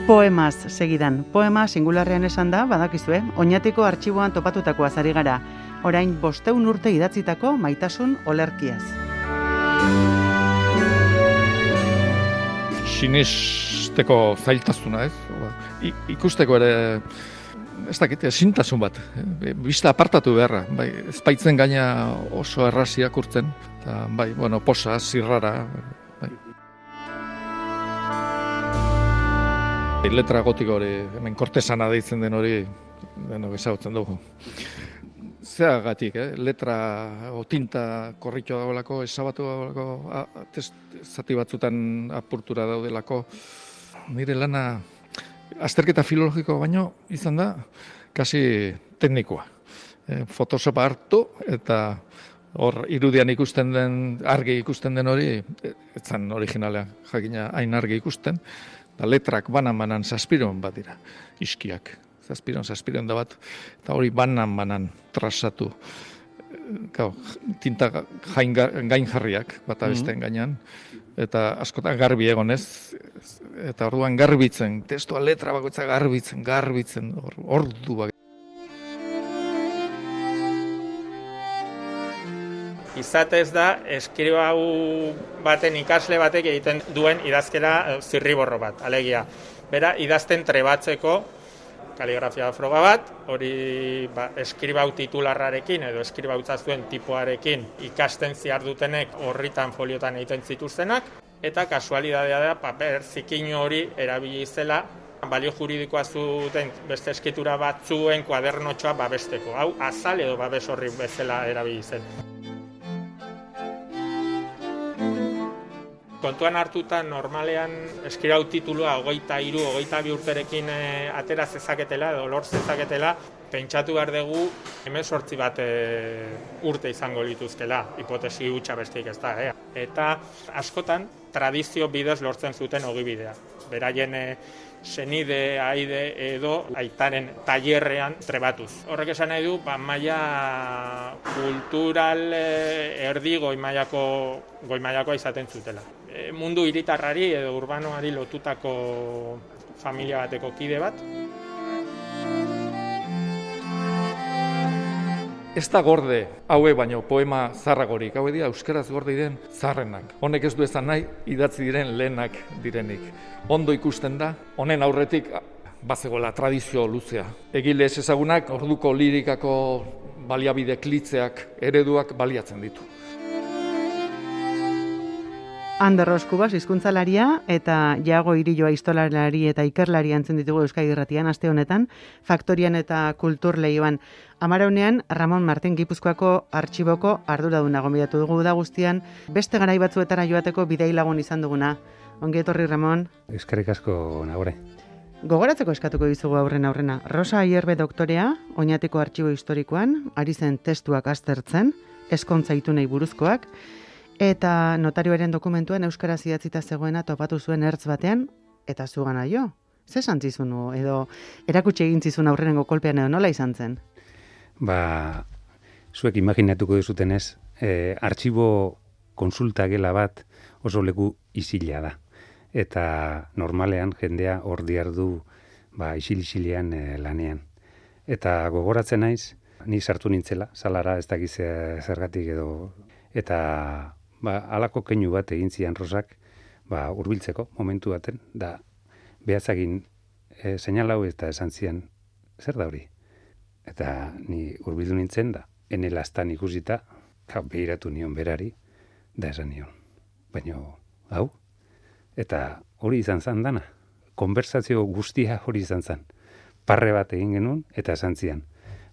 Poemaz segidan. Poema singularrean esan da, badakizue, Oñatiko artxiboan topatutakoaz ari gara. Orain 500 urte idatzitako maitasun olerkiaz. Sinesteko zailtasuna, ez? Ikusteko ere, ez dakit, ezintasun bat. Bista apartatu beharra. Bai, ez baitzen gaina oso erraz irakurtzen. Eta, bai, posa, zirrara. Bai. Letra gotiko hori, hemen kortesana deitzen den hori, denok ezagutzen dugu. Zeagatik, letra o tinta korritu dagoelako, ezabatu dagoelako, zati batzutan apurtura daudelako. Nire lana azterketa filologiko baino izan da, kasi teknikoa. Photoshopa hartu eta hor irudian ikusten den, argi ikusten den hori, ez zen originalea, jakina hain argi ikusten. Da letrak banan zazpiron bat dira, iskiak. Zazpiron da bat, eta hori banan trasatu. Tinta gain jarriak, bata besteen gainean. Eta askotan garbi egonez, eta orduan garbitzen, testua letra bakoitza garbitzen, ordu bak. Izatez da, eskribau baten ikasle batek egiten duen idazkera zirriborro bat, alegia. Bera, idazten trebatzeko kaligrafia froga bat, hori eskribau titularrarekin edo eskribau zuen tipoarekin ikasten ziardutenek horritan foliotan egiten zituztenak, eta kasualidadea da, paper zikin hori erabili zela, balio juridikoa zuten beste eskitura batzuen kuadernotxoa babesteko. Hau, azal edo babes horri bezala erabili zen. Kontuan hartuta normalean eskribau titulua 23-22 urterekin atera zezaketela edo lor zezaketela, pentsatu behar dugu 18 bat urte izango lituzkela, hipotesi hutsa besteik ez da. Eta askotan tradizio bidez lortzen zuten ogibidea. Beraien senide, aide edo aitaren tailerrean trebatuz. Horrek esan nahi du, maila kultural erdi goi mailakoa izaten zutela. Mundu hiritarrari edo urbanoari lotutako familia bateko kide bat. Ez da gorde, haue baino poema zarragorik, haue dira euskaraz gorde diren zarrenak. Honek ez du esan nahi, idatzi diren lehenak direnik. Ondo ikusten da, honen aurretik bazegoela tradizio luzea. Egile ez ezagunak, orduko lirikako baliabide klitzeak, ereduak baliatzen ditu. Ander Roskubas, hizkuntzalaria eta Iago Irilloa historialari eta ikerlari entzun ditugu Euskadi Irratian aste honetan, Faktorian eta Kultur Leioan. Amaraunean, Ramon Martin Gipuzkoako artxiboko arduraduna gonbidatu dugu da guztian, beste garai batzuetara joateko bidei lagun izan duguna. Ongi etorri, Ramon. Eskerrik asko nagore. Gogoratzeko eskatuko dizugu aurrena. Rosa Aierbe doktorea, Oñatiko artxibo historikoan, ari zen testuak aztertzen, ezkontza itunei buruzkoak, eta notarioaren dokumentuan euskaraz idatzita zegoena topatu zuen ertz batean, eta zugana jo. Ze esan zizunu, edo erakutsi egin zizun aurrenengo kolpean edo nola izan zen? Zuek imaginatuko duzutenez, artxibo konsulta gela bat oso leku isila da. Eta normalean jendea hor diardu isil-isilean lanean. Eta gogoratzen naiz, ni sartu nintzela, salara ez dakiz zergatik edo, eta halako keinu bat egin zian Rosak, hurbiltzeko momentu baten, da behatzagin seinalau eta esan zian, zer da hori? Eta ni hurbildu nintzen da, enelastan ikusita, behiratu nion berari, da esan nion. Baina, hau? Eta hori izan zan dana. Konversazio guztia hori izan zan. Parre bat egin genuen, eta esan zian.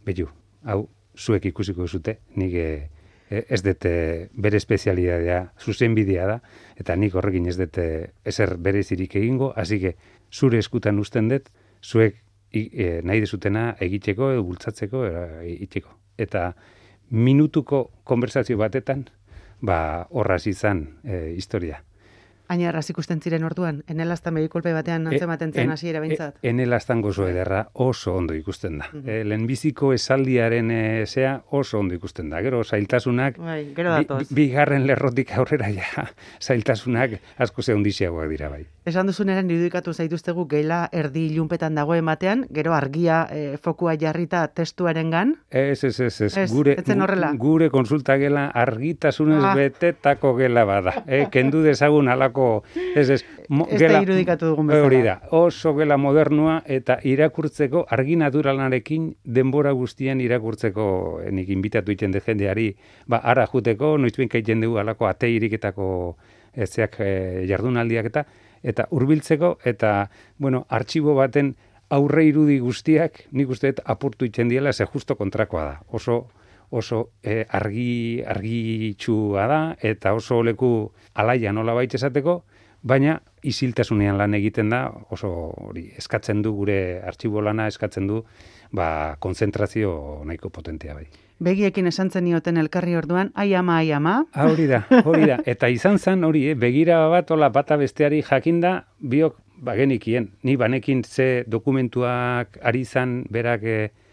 Behu, hau, zuek ikusiko zute, nik ez dute bere espezialidadea, zuzenbidea da, eta nik horrekin ez dute ezer berezirik egingo, hasi que zure eskutan uzten dut, zuek nahi dezutena egiteko edo bultzatzeko egiteko. Eta minutuko konversazio batetan, horraz izan historia. Ainar, ikusten ziren orduan, enelaztan behikolpe batean antzematen zen hasiera behintzat. Enelaztan gozo ederra oso ondo ikusten da. Lehenbiziko esaldiaren zea oso ondo ikusten da. Gero, zailtasunak, gero datoz. Bigarren lerrotik aurrera ja, zailtasunak asko zehundiziagoak dira bai. Esan duzuneran irudikatu zaituztegu gela erdi ilunpetan dago ematean, gero argia fokua jarrita testuarengan. Ez. Gure konsulta gela argitasunez betetako gela bada. Kendu dezagun alako... Ez da irudikatu dugun bezala. Hori da, oso gela modernua eta irakurtzeko, argi naturalarekin denbora guztian irakurtzeko nik inbitatu iten de jendeari, ara juteko, noizbien kaiten dugu alako ate iriketako zeak jardunaldiak eta hurbiltzeko, eta, artxibo baten aurre irudi guztiak, nik uste apurtu iten diela, ze justo kontrakoa da. Oso argitxua da, eta oso leku alaia nola baita esateko, baina isiltasunean lan egiten da, oso hori eskatzen du, gure artxibo lana eskatzen du, konzentrazio nahiko potentea bai. Begiekin esan zenioten elkarri orduan, ai ama. Hori da. Eta izan zen hori, begira bat, bata besteari jakinda, biok bagenikien. Ni banekin ze dokumentuak ari izan berak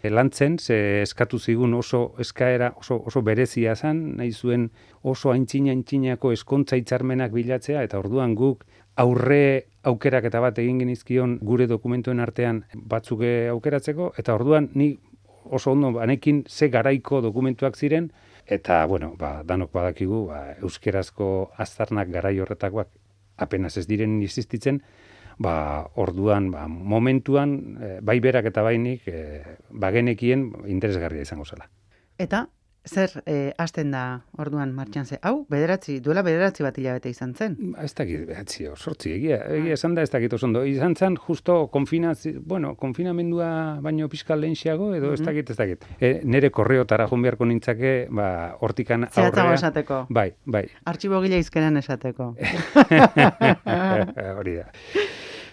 lantzen, ze eskatu zigun oso eskaera, oso berezia zen, nahi zuen oso aintzina-aintzinako eskontza hitzarmenak bilatzea, eta orduan guk aurre aukeraketa bat egin genizkion gure dokumentuen artean batzuk aukeratzeko, eta orduan ni oso ondo banekin ze garaiko dokumentuak ziren, eta, danok badakigu, euskerazko aztarnak garai horretakoak apenas ez diren existitzen, orduan, momentuan, bai berak eta bainik, bagenekien interesgarria izango zela. Eta, zer hasten da orduan martxan ze? Hau, duela bederatzi bat hilabete izan zen? Ez dakit, sortzi, egia esan da ez dakit oso ondo. Izan zen, justo konfinamendua baino pixka lehenxiago, edo ez dakit. Nere korreotara joan beharko nintzake, hortikan aurrea. Zehatzago esateko. Bai. Artxibo gila izkenan esateko. Hori da.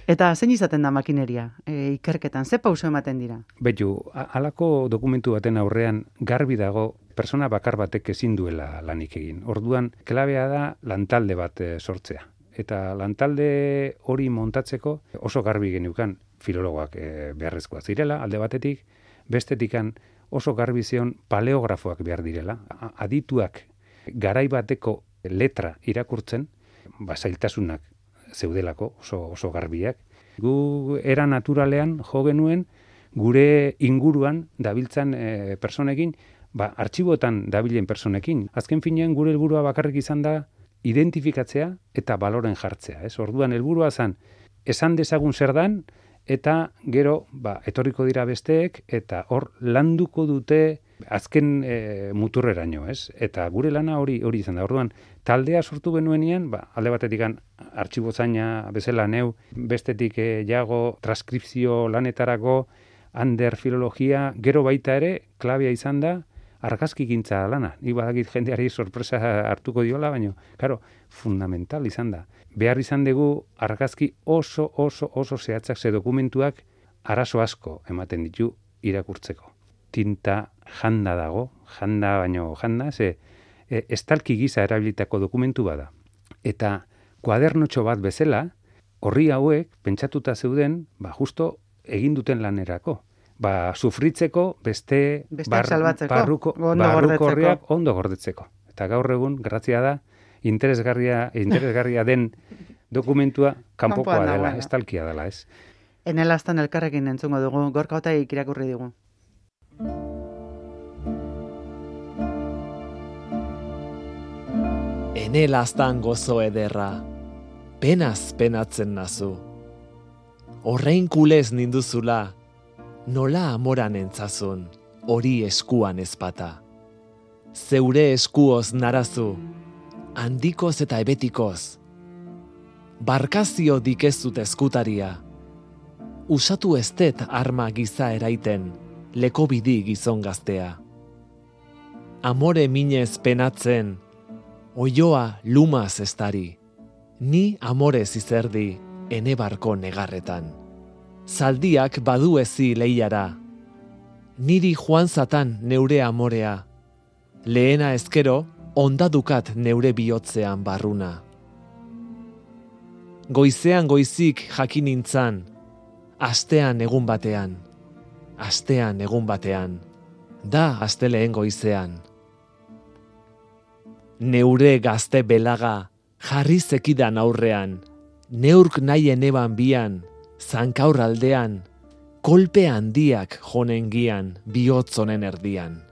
Eta zein izaten da makineria, ikerketan, ze pauso ematen dira? Betu, halako dokumentu baten aurrean garbi dago persona bakar batek ezin duela lanik egin. Orduan, klabea da lantalde bat sortzea. Eta lantalde hori montatzeko oso garbi geniukan filologoak beharrezkoa zirela, alde batetik, bestetikan oso garbi zion paleografoak behar direla. Adituak garai bateko letra irakurtzen, zailtasunak zeudelako, oso garbiak. Gu era naturalean jo genuen gure inguruan dabiltzan personekin, artxibotan dabilen personekin. Azken finean gure helburua bakarrik izan da identifikatzea eta baloren jartzea. Orduan helburua zen esan dezagun zer dan, eta gero etorriko dira besteek, eta hor landuko dute azken muturreraino, Eta gure lana hori izan da. Orduan, taldea sortu genuenean, alde batetik artxibozaina bezala neu, bestetik jago transkripzio lanetarako, ander filologia, gero baita ere, klabea izan da, argazkigintza lana. Nik badakit jendeari sorpresa hartuko diola, baina, karo, fundamental izan da. Behar izan dugu argazki oso zehatzak ze dokumentuak arazo asko ematen ditu irakurtzeko. Tinta janda dago, ze estalki gisa erabilitako dokumentu bada. Eta kuadernotxo bat bezala, horri hauek pentsatuta zeuden, justo egin duten lanerako. Sufritzeko beste barruko horriak ondo gordetzeko. Eta gaur egun, grazia da, interesgarria den dokumentua kanpokoa dela, estalkia dela, ez? Enelaztan elkarrekin entzungo dugu, Gorka Otaik irakurri digu. Enelaztan gozo ederra, penaz penatzen nazu. Horrein kulez ninduzula, nola amoran entzazun, hori eskuan ezpata. Zeure eskuoz narazu, handikoz eta ebetikoz. Barkazio dikezut eskutaria, usatu estet arma giza eraiten, leko bidi gizon gaztea. Amore minez penatzen, oioa lumaz estari, ni amorez izerdi, ene barko negarretan. Zaldiak badu ezi lehiara, niri joan zatan neure amorea, lehena ezkero, ondadukat neure bihotzean barruna. goizean goizik jakin nintzan, astean egun batean, da asteleen goizean. Neure gazte belaga jarri zekidan aurrean, neurk nahien eban bian, zankaur aldean, kolpe handiak jonen gian, bihotzonen erdian.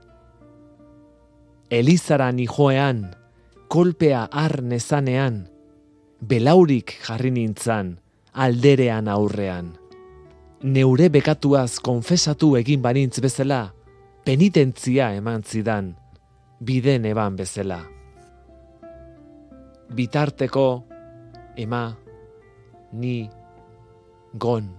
Elizara nijoean, kolpea har nezanean, belaurik jarri nintzan, alderean aurrean. Neure bekatuaz konfesatu egin banintz bezala, penitentzia eman zidan, biden eban bezala. Bitarteko, ema, ni, gon.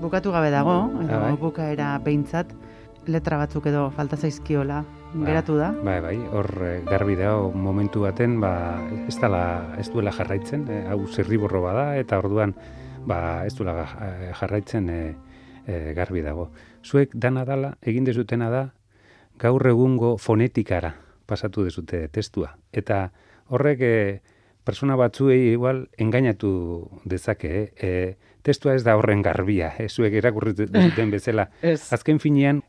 Bukatu gabe dago, edo Bai. bukaera behintzat, letra batzuk edo falta zaizkiola geratu da. Bai, hor garbi dago momentu baten, ez duela jarraitzen, hau zirriborro bada, eta orduan ez duela jarraitzen garbi dago. Zuek dana dala, egin dezutena da, gaur egungo fonetikara pasatu dezute testua. Eta horrek persona batzuei igual engainatu dezake, testua ez da horren garbia, zuek irakurri duten bezala. Azken finean,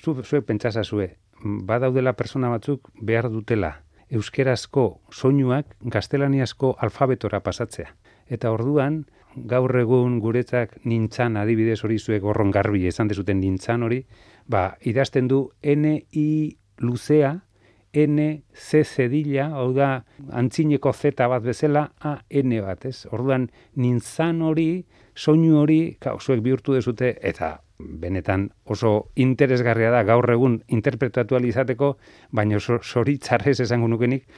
zuek pentsazazue, badaudela persona batzuk behar dutela euskerazko soinuak gaztelaniazko alfabetora pasatzea. Eta orduan, gaur egun guretzak nintzan, adibidez hori zuek horron garbi esan dezuten nintzan hori, idazten du N-I luzea, N-C zedila, hau da, antzineko Z bat bezala, A-N bat, ez? Orduan, nintzan hori, soinu hori, zuek bihurtu dezute, eta benetan oso interesgarria da gaur egun interpretatu ahal izateko, baina zoritzarrez esango nukenik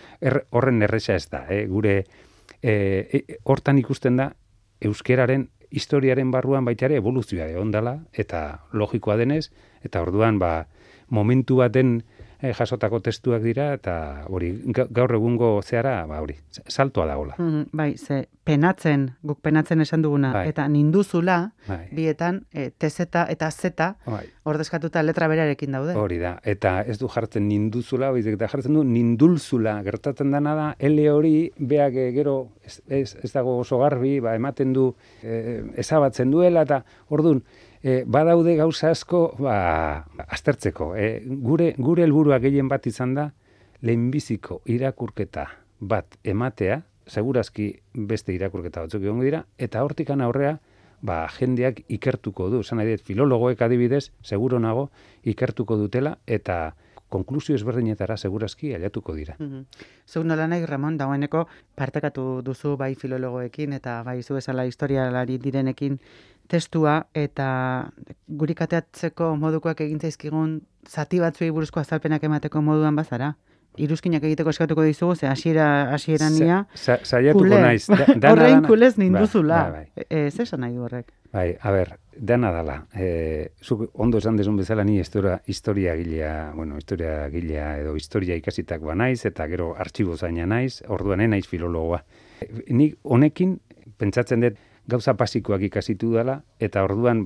horren erresa ez da. Gure hortan ikusten da euskeraren historiaren barruan baita ere evoluzioa ondala, eta logikoa denez, eta orduan momentu baten jasotako testuak dira, eta hori gaur egungo zehara, hori, saltoa dagola. Bai, guk penatzen esan duguna, eta ninduzula, bietan, TZ eta Z, ordezkatuta letra berarekin daude. Hori da, eta ez du jartzen ninduzula, eta jartzen du nindulzula, gertatzen dana da, L hori, beak gero, ez dago oso garbi, ematen du, ezabatzen duela, eta orduan, badaude gauza asko aztertzeko. Gure helburua gehien bat izan da, lehenbiziko irakurketa bat ematea, segurazki beste irakurketa batzuk egongo dira, eta hortikan aurrea, jendeak ikertuko du. Esan nahi dut, filologoek adibidez, seguro nago, ikertuko dutela, eta konklusio ezberdinetara segurazki ailetuko dira. Zuk nola nahi, Ramon, dagoeneko partekatu duzu bai filologoekin, eta bai zu bezala historialari direnekin testua, eta guri kateatzeko modukoak egin zaizkigun zati batzuei buruzko azalpenak emateko moduan bazara? Iruzkinak egiteko eskatuko dizugu, ze hasieran nia saiatuko naiz. Horrein kulez ninduzula. Ez esan nahi du horrek. Bai, dana dala. Zuk ondo esan dezun bezala ni historia gilea edo historia ikasitak naiz, eta gero artxibo zaina naiz, orduan naiz filologoa. Nik honekin pentsatzen dut gauza basikoak ikasitu dela, eta orduan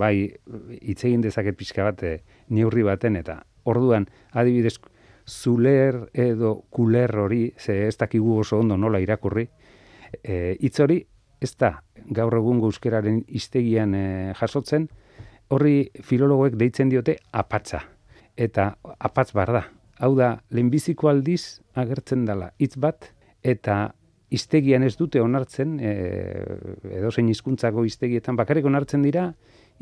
hitz egin dezaket pixka bat neurri baten, eta orduan adibidez zuler edo kuler hori, ze ez dakigu oso ondo nola irakurri, hitz hori ez da gaur egungo euskeraren hiztegian jasotzen, horri filologoek deitzen diote apatza. Eta apatz bar da. Hau da, lehenbiziko aldiz agertzen dela hitz bat, eta hiztegian ez dute onartzen, edozein hizkuntzako hiztegietan bakarrik onartzen dira,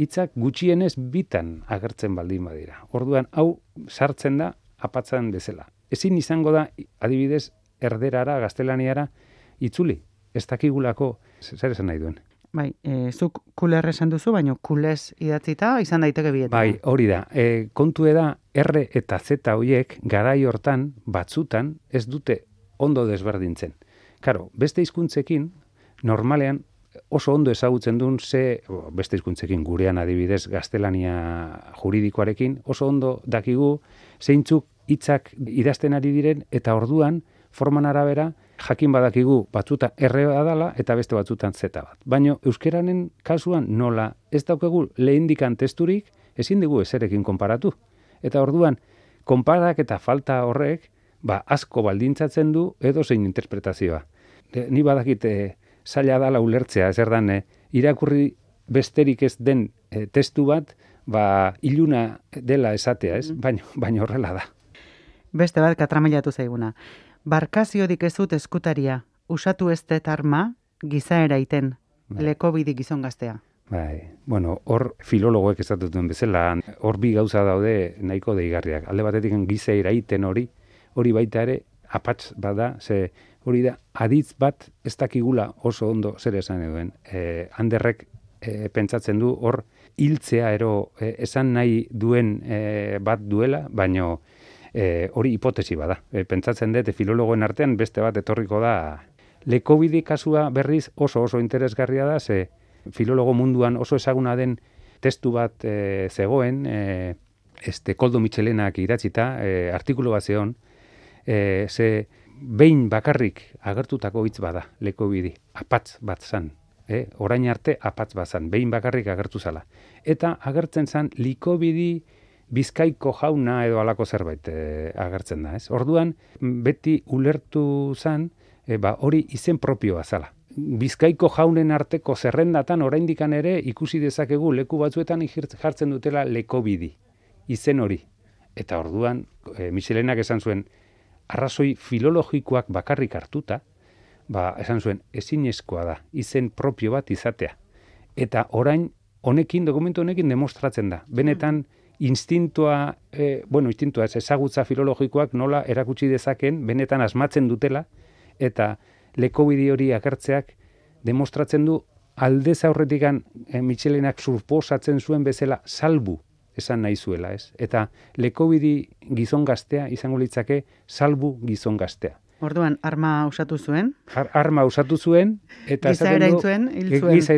hitzak gutxienez bitan agertzen baldin badira. Orduan, hau sartzen da apatzan bezala. Ezin izango da, adibidez, erderara, gaztelaniara, itzuli. Ez dakigulako, zer esan nahi duen. Bai, zuk kuler esan duzu, baina kulez idatzita izan daiteke bietan. Bai, hori da. Kontu da, R eta Z horiek garai hortan, batzutan, ez dute ondo desberdintzen. Karo, beste hizkuntzekin, normalean, oso ondo ezagutzen duen beste hizkuntzekin gurean adibidez gaztelania juridikoarekin, oso ondo dakigu zeintzuk hitzak idazten ari diren, eta orduan, forman arabera, jakin badakigu batzutan R dala eta beste batzutan Z bat. Baina euskeranen kasuan nola ez daukegu lehendikan testurik, ezin dugu ezerekin konparatu. Eta orduan, konparak eta falta horrek, asko baldintzatzen du edo zein interpretazioa. Ni badakit zaila dala ulertzea, zer dan, irakurri besterik ez den testu bat, iluna dela esatea, ez? Baina horrela da. Beste bat katramailatu zaiguna. Barkaziodik ez dut eskutaria, usatu ez dut arma, gizaera iten, lekobidi gizon gaztea. Hor filologoek esatutuen bezala, hor bi gauza daude nahiko deigarriak. Alde batetik gizaera iten hori baita ere apatz bada, ze hori da aditz bat ez dakigula oso ondo zer esan eduen. Anderrek pentsatzen du hor hiltzea esan nahi duen bat duela, baino hori hipotesi bada. Pentsatzen dut filologoen artean beste bat etorriko da. Lekobidi kasua berriz oso interesgarria da, ze filologo munduan oso ezaguna den testu bat zegoen, Koldo Mitxelenak idatzita, artikulu bat zeon, ze behin bakarrik agertutako hitz bada, lekobidi, apatz bat zan. Orain arte apatz bat zan, behin bakarrik agertu zala. Eta agertzen zan likobidi Bizkaiko jauna edo halako zerbait agertzen da. Orduan, beti ulertu zan, hori izen propioa zala. Bizkaiko jaunen arteko zerrendatan oraindikan ere ikusi dezakegu leku batzuetan jartzen dutela lekobidi, izen hori. Eta orduan, Mitxelenak esan zuen, arrazoi filologikoak bakarrik hartuta, esan zuen, ezinezkoa da, izen propio bat izatea. Eta orain, dokumentu honekin demostratzen da. Benetan, instintua ezagutza filologikoak nola erakutsi dezaken, benetan asmatzen dutela, eta lekobidi hori agertzeak demostratzen du aldez aurretikan Mitxelenak suposatzen zuen bezala salbu esan nahi zuela, ez? Eta lekobidi gizon gaztea izango litzake salbu gizon gaztea. Orduan, arma usatu zuen? Arma usatu zuen, eta gizaera hiltzuen,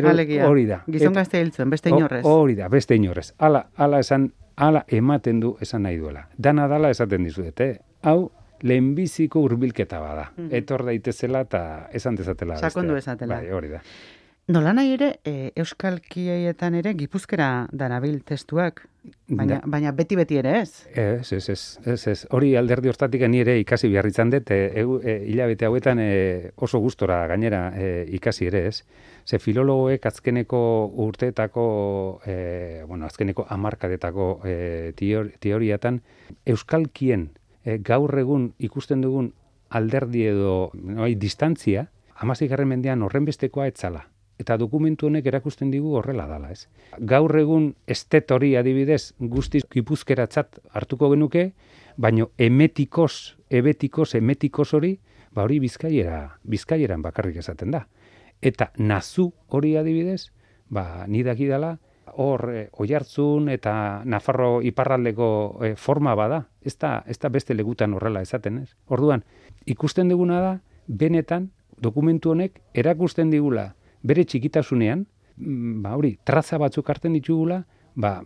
alegia. Hori da. Gizon gaztea hiltzuen, beste inorrez. Hori da, beste inorrez. Hala ematen du esan nahi duela. Dana dala esaten dizuet, hau lehenbiziko hurbilketa bada. Etor daitezela eta esan dezatela. Sakondu ezatela. Bai, hori da. Nola nahi ere, euskalkietan ere gipuzkera darabil testuak, baina beti ere ez? Ez. Hori alderdi hortatik ni ere ikasi behar izan dut, hilabete hauetan oso gustora gainera ikasi ere ez. Ze filologoek azkeneko urteetako, azkeneko hamarkadetako teoriatan, euskalkien gaur egun ikusten dugun alderdi edo distantzia, 16. mendean horrenbestekoa etzala. Eta dokumentu honek erakusten digu horrela dala, ez? Gaur egun estet hori adibidez guztiz gipuzkeratzat hartuko genuke, baino emetikos hori, hori bizkaieran bakarrik esaten da. Eta nazu hori adibidez, ni dakidala, hor Oiartzun eta Nafarro iparraldeko forma bada, ez da beste legutan horrela esaten, ez? Orduan, ikusten duguna da, benetan dokumentu honek erakusten digula bere txikitasunean, traza batzuk hartzen ditugula,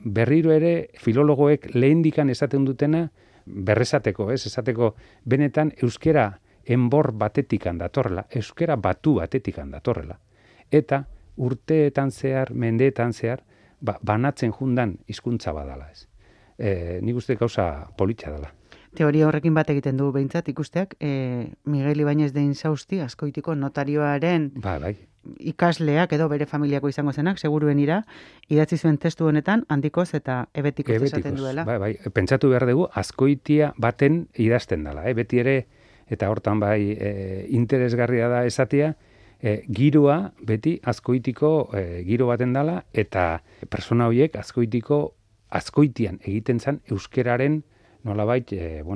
berriro ere filologoek lehendikan esaten dutena berresateko, ez? Esateko benetan euskera enbor batetikan datorrela, euskera batu batetikan datorrela. Eta urteetan zehar, mendeetan zehar, banatzen jundan hizkuntza badala, ez? Nik uste gauza politxa dela. Teoria horrekin bat egiten du behintzat ikusteak, Miguel Ibáñez de Insausti, Azkoitiko notarioaren ikasleak edo bere familiako izango zenak, seguruenira, idatzi zuen testu honetan, handikoz eta ebetikoz esaten duela. Pentsatu behar dugu, Azkoitia baten idazten dela, beti ere, eta hortan interesgarria da esatea, giroa beti Azkoitiko giro baten dela, eta persona horiek Azkoitian egiten zen euskeraren nolabait,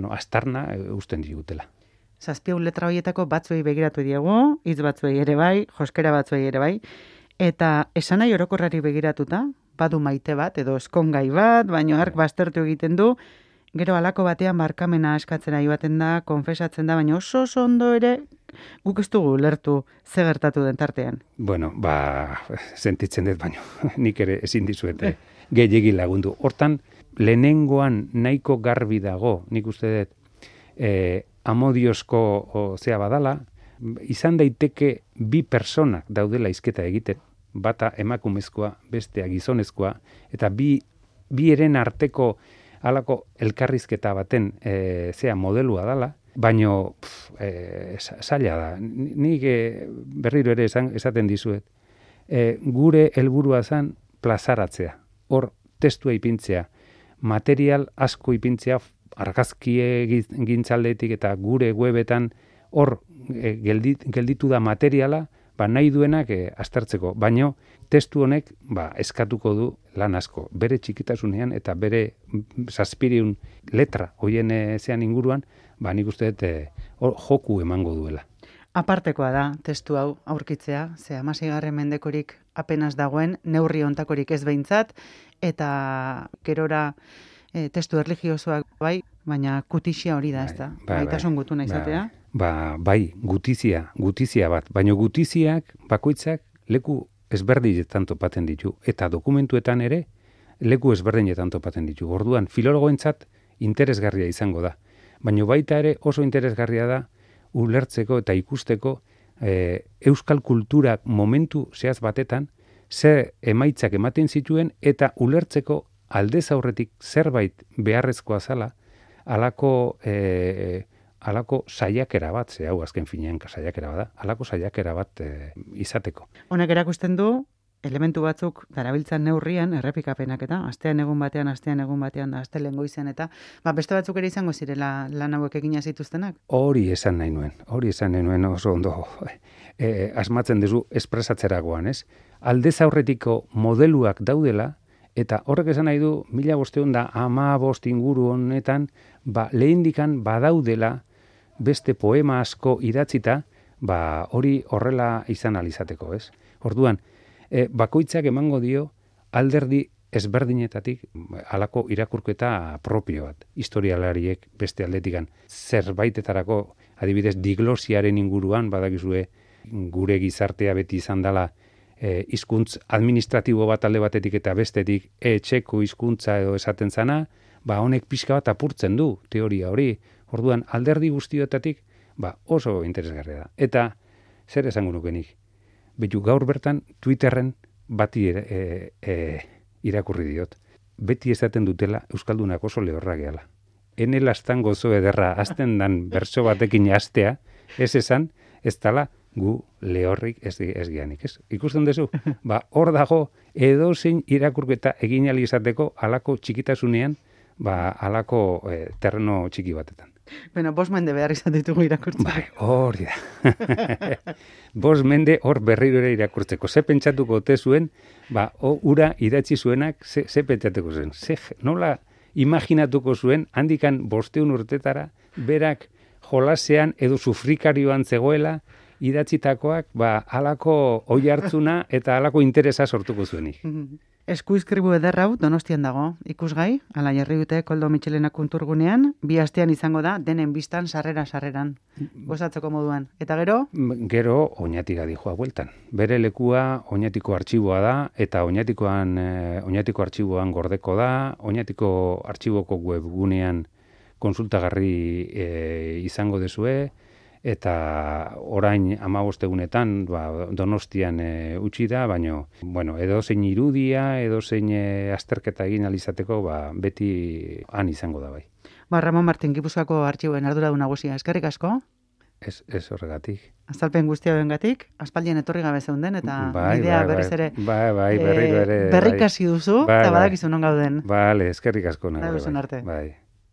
astarna usten digutela. 7 letra horietako batzuei begiratu diegu, hitz batzuei ere bai, joskera batzuei ere bai, eta esanai orokorrari begiratuta, badu maite bat, edo eskongai bat, baino ark baztertu egiten du, gero halako batean barkamena eskatzera joaten da, konfesatzen da, baina oso ondo ere, guk ez dugu lertu ze gertatu den tartean. Sentitzen dut, baino, nik ere ezin dizuet gehiegi lagundu. Hortan, lehenengoan nahiko garbi dago, nik uste dut, amodiozko zea badala, izan daiteke bi personak daudela hizketa egiten, bata emakumezkoa, bestea gizonezkoa, eta bi eren arteko halako elkarrizketa baten modelua dala, baino zaila da. Nik berriro ere esaten dizuet. Gure helburua zen plazaratzea. Hor testua ipintzea, material asko ipintzea, argazkie gintzaldetik eta gure webetan hor gelditu da materiala, nahi duenak aztertzeko. Baino testu honek eskatuko du lan asko. Bere txikitasunean eta bere 700 letra hoien zean inguruan, nik uste dut joku emango duela. Apartekoa da testu hau aurkitzea, ze 16. mendekorik apenas dagoen, neurri ontakorik ez behintzat, eta gerora testu erligiosoak bai, baina gutizia hori da, ez da? Gaitasun gutuna izatea? Bai, gutizia bat, baina gutiziak bakoitzak leku ezberdinetan topatzen ditu, eta dokumentuetan ere leku ezberdinetan topatzen ditu. Orduan, filologoentzat interesgarria izango da, baina baita ere oso interesgarria da ulertzeko eta ikusteko euskal kulturak momentu zehaz batetan zer emaitzak ematen zituen eta ulertzeko aldez aurretik zerbait beharrezkoa zala halako saiakera bat, ze hau azken finean saiakera bada, halako saiakera bat izateko. Honek erakusten du elementu batzuk darabiltzan neurrian errepikapenak eta astean egun batean da astelehen goizean eta beste batzuk ere izango zirela lan hauek egina zituztenak. Hori esan nahi nuen oso ondo asmatzen duzu espresatzeragoan, ez? Aldez aurretiko modeluak daudela eta horrek esan nahi du 1515 inguru honetan lehendikan badaudela beste poema asko idatzita hori horrela izan alizateko, ez? Orduan, bakoitzak emango dio alderdi ezberdinetatik halako irakurketa propio bat. Historialariek beste aldetikan zerbaitetarako, adibidez, diglosiaren inguruan, badakizue gure gizartea beti izan dela hizkuntz administratibo bat alde batetik eta bestetik etxeko hizkuntza edo esaten zana, honek pixka bat apurtzen du teoria hori. Orduan, alderdi guztioetatik oso interesgarria da. Eta zer esango nukenik? Betu gaur bertan Twitterren bati irakurri diot. Beti esaten dutela Euskaldunak oso lehorra gehala. Ene lastan gozo ederra azten dan berso batekin hastea, ez esan, ez dala gu lehorrik ez gianik, ez? Ikusten duzu? Hor dago edozein irakurketa egin ahal izateko halako txikitasunean, halako terreno txiki batetan. 5 mende behar izan ditugu irakurtzeko. Hori da. 5 mende hor berriro ere irakurtzeko. Ze pentsatuko ote zuen, ura idatzi zuenak, ze pentsatuko zuen. Nola imaginatuko zuen, handikan 500 urtetara, berak jolasean edo sufrikarioan zegoela, idatzitakoak, halako oi hartzuna eta halako interesa sortuko zuenik. Eskuizkribu ederra hau Donostian dago, ikusgai, ala jarri dute Koldo Mitxelena kulturgunean, 2 astean izango da, denen bistan sarreran, gozatzeko moduan. Eta gero? Gero, Oñatiga dijoa bueltan. Bere lekua Oñatiko artxiboa da, eta Oñatiko artxiboan gordeko da, Oñatiko artxiboko webgunean konsultagarri izango dezue, eta orain 15 egunetan Donostian utzi da, baina edozein irudia, edozein azterketa egin alizateko beti han izango da bai. Ramon Martin, Gipuzkoako artxiboen arduradun nagusia, eskerrik asko? Ez horregatik. Azalpen guztia bengatik, aspaldien etorri gabe zeunden, eta bidea berriz ere berriro ere berrikasi duzu, eta badakizu non gauden. Bale, eskerrik asko. Bai.